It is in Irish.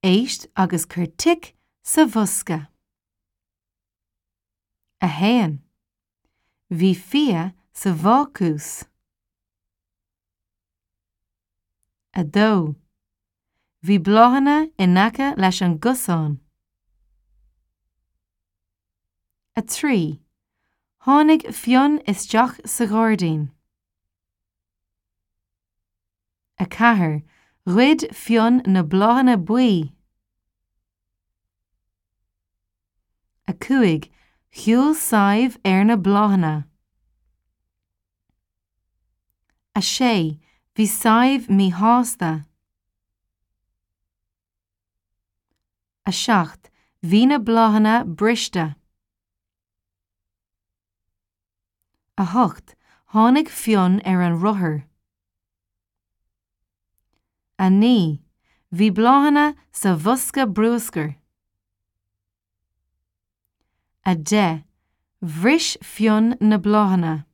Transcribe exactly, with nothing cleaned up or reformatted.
Éist agus cuir tic sa bhosca. A haon. Bhí fia sa bhácús. A dó. Bhí bláthanna in aice leis an gcosán. A trí. Tháinig Fionn isteach sa ghairdín. A ceathair. Ghoid Fionn na bláthanna buí. A cúig. Shiúil Sadhbh ar na bláthanna. A sé. Bhí Sadhbh míshásta. A seacht. Bhí na bláthanna briste. A hocht. Tháinig Fionn ar an rothar. A naoi. Bhí bláthanna sa bhosca bruscair. A deich. Bhris Fionn na bláthanna.